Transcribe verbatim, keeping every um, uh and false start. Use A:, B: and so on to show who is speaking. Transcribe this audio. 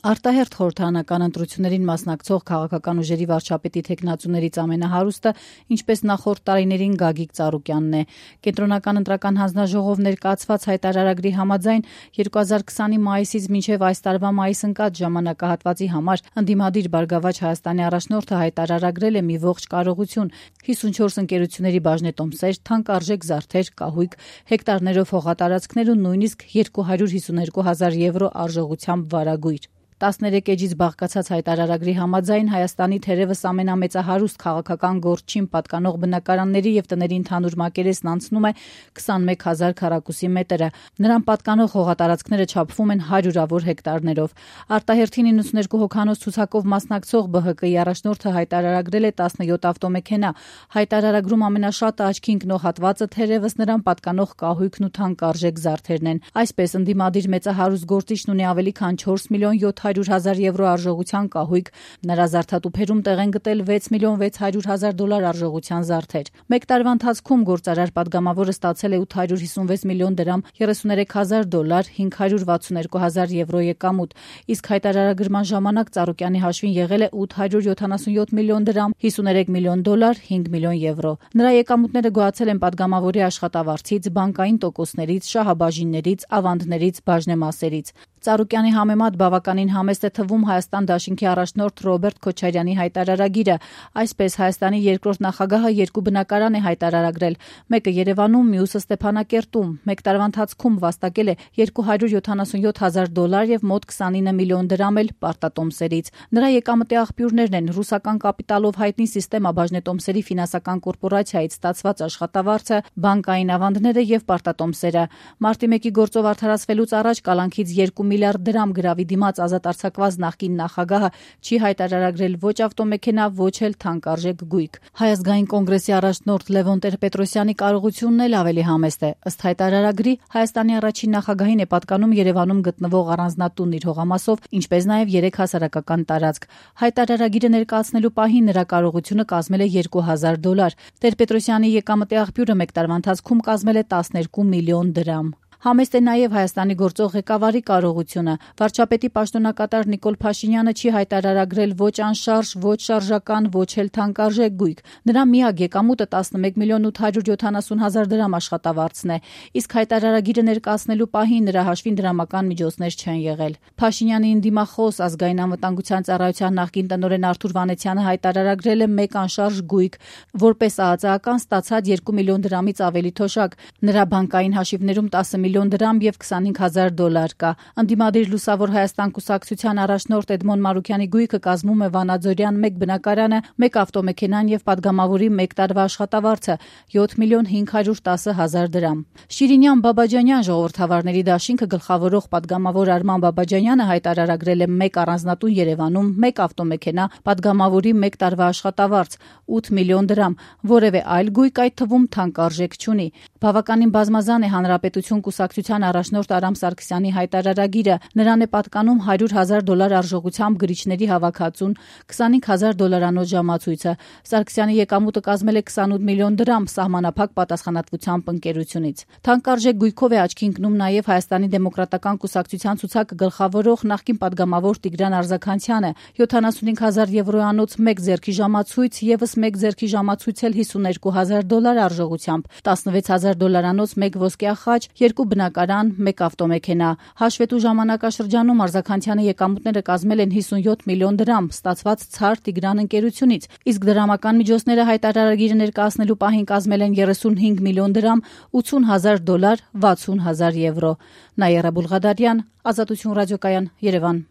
A: Արտահերթ խորհրդարանական ընտրություններին մասնակցող քաղաքական ուժերի վարչապետի թեկնածուներից ամենահարուստը, ինչպես նախորդ տարիներին, Գագիկ Ծառուկյանն է։ Կենտրոնական ընտրական հանձնաժողով ներկայացված հայտարարագրի համաձայն երկու հազար քսանի մայիսից մինչև այս տարվա մայիս ընկած ժամանակահատվածի համար ընդդիմադիր Բարգավաճ Հայաստանի առաջնորդը հայտարարագրել է մի ողջ կարողություն՝ հիսունչորս ընկերությունների բաժնետոմսեր, թանկարժեք զարդեր, կահույք, հեկտարներով հողատարածքներ ու նույնիսկ երկու հարյուր հիսուներկու հազար եվրո արժողությամբ վարագույր։ տասներեք էջից բաղկացած հայտարարագրի համաձայն Հայաստանի թերևս ամենամեծահարուստ քաղաքական գործչին պատկանող բնակարանների եւ տների ընդհանուր մակերեսն անցնում է քսանմեկ հազար քառակուսի մետրը։ Նրան պատկանող հողատարածքները չափվում են հարյուրավոր հեկտարներով։ Արտահերթին իննսուներկու հոգանոց ցուցակով մասնակցող Բ Հ Կ-ի առաջնորդը հայտարարագրել է տասնյոթ ավտոմեքենա։ Հայտարարագրում ամենաշատը աչքի ընկնող հատվածը թերևս նրան պատկանող կահույքն ու թանկարժեք զարդերն են։ Այսպես ընդդիմադիր մեծահարուստ գործիչն ունի ավելի քան չորս միլիոն յոթ հարյուր հազար եվրո արժողության կահույք, նրա զարդատուփերում տեղ են գտել վեց միլիոն վեց հարյուր հազար դոլար արժողության զարդեր։ Մեկ տարվա ընթացքում գործարար պատգամավորը ստացել է ութ հարյուր հիսունվեց միլիոն դրամ, երեսուներեք հազար դոլար, հինգ հարյուր վաթսուներկու հազար եվրո եկամուտ, իսկ հայտարարագրման ժամանակ Ծառուկյանի հաշվին եղել է ութ հարյուր յոթանասունյոթ միլիոն դրամ, հիսուներեք միլիոն դոլար, հինգ միլիոն եվրո։ Նրա եկամուտները գոհացել են պատգամավորի աշխատավարձից, բանկային տոկոսներից, շահաբաժիններից, ավանդներից, բաժնեմասերից։ Ծառուկյանի համեմատ բավականին համեստ է թվում Հայաստան դաշինքի առաջնորդ Ռոբերտ Քոչարյանի հայտարարագիրը։ Այսպես Հայաստանի երկրորդ նախագահը երկու բնակարան է հայտարարագրել, մեկը Երևանում, մյուսը Ստեփանակերտում։ Մեկ տարվա ընթացքում վաստակել է երկու հարյուր յոթանասունյոթ հազար դոլար եւ մոտ քսանինը միլիոն դրամ էլ պարտատոմսերից։ Նրա եկամտի աղբյուրներն են ռուսական կապիտալով հայտնի Սիստեմա բաժնետոմսերի ֆինանսական կորպորացիայից ստացված աշխատավարձը, բանկային ավանդները եւ պարտատոմսերը։ Մարտի մեկի գործով արդարացվելուց առաջ կալանքից երկու միլիարդ դրամ գրավի դիմաց ազատ արձակված նախկին նախագահը չի հայտարարագրել ոչ ավտոմեքենա, ոչ էլ թանկարժեք գույք։ Հայ ազգային կոնգրեսի առաջնորդ Լևոն Տեր-Պետրոսյանի կարողությունն էլ ավելի համեստ է։ Ըստ հայտարարագրի Հայաստանի առաջին նախագահին է պատկանում Երևանում գտնվող առանձնատունն իր հողամասով, ինչպես նաև երեք հասարակական տարածք։ Հայտարարագիրը ներկայացնելու պահին նրա կարողությունը կազմել է երկու հազար դոլար։ Տեր-Պետրոսյանի եկամտի աղբյուրը մեկ տարվա ընթացքում կազմել է տասներկու միլիոն դրամ։ Համեստ է նաև Հայաստանի գործող ղեկավարի կարողությունը։ Վարչապետի պաշտոնակատար Նիկոլ Փաշինյանը չի հայտարարագրել ոչ անշարժ, ոչ շարժական, ոչ էլ թանկարժեք գույք։ Նրա միակ եկամուտը տասնմեկ միլիոն ութ հարյուր յոթանասուն հազար դրամ աշխատավարձն է, իսկ հայտարարագիրը ներկայացնելու պահին նրա հաշվին դրամական միջոցներ չեն եղել։ Փաշինյանի ընդդիմախոս ազգային անվտանգության ծառայության նախկին տնօրեն Արթուր Վանեցյանը հայտարարագրել է մեկ անշարժ գույք, որպես ԱԱԾ-ական ստացած երկու միլիոն դրամից ավելի թոշակ։ Նրա բանկային հաշիվներում տասը միլիոն դրամ եւ քսանհինգ հազար դոլար կա։ Ընդդիմադիր Լուսավոր Հայաստան կուսակցության առաջնորդ Էդմոն Մարուքյանի գույքը կազմում է Վանաձորյան մեկ բնակարանը, մեկ ավտոմեքենան եւ պատգամավորի մեկ տարվա աշխատավարձը յոթ միլիոն հինգ հարյուր տասը հազար դրամ։ Շիրինյան Բաբաջանյան ժողովրդավարների դաշինքը գլխավորող պատգամավոր Արման Բաբաջանյանը հայտարարագրել է մեկ առանձնատուն Երևանում, մեկ ավտոմեքենա, պատգամավորի մեկ տարվա աշխատավարձ ութ միլիոն դրամ, որևէ այլ գույք այդ թվում թանկարժեք չունի։ Բավականին բազմազան է Հանրապետություն կուսակցության առաջնորդ Արամ Սարգսյանի հայտարարագիրը։ Նրան է պատկանում հարյուր հազար դոլար արժողությամբ գրիչների հավաքածուն, քսանհինգ հազար դոլարանոց ժամացույցը։ Սարգսյանի եկամուտը կազմել է քսանութ միլիոն դրամ սահմանափակ պատասխանատվությամբ ընկերությունից։ Թանկարժեք գույքով է աչքի ընկնում նաև Հայաստանի դեմոկրատական կուսակցության ցուցակը գլխավորող նախկին պատգամավոր Տիգրան Արզականցյանը։ յոթանասունհինգ հազար եվրոյանոց մեկ ձեռքի ժամացույց, եւս մեկ ձեռքի ժամացույց էլ հիսուներկու հազար դոլար արժողությամբ, տասնվեց հազար դոլարանոց մեկ ոսկյա խաչ, երկու բնակարան, մեկ ավտոմեքենա։ Հաշվետու ժամանակաշրջանում Արզականցյանի եկամուտները կազմել են հիսունյոթ միլիոն դրամ, ստացված Ցար Տիգրան ընկերությունից, իսկ դրամական միջոցները հայտարարագիրը ներկայացնելու պահին կազմել են երեսունհինգ միլիոն դրամ, ութուն հազար դոլար, վաթսուն հազար եվրո։ Նաիրա Բուլղադարյան, Ազատություն ռադիոկայան, Երևան։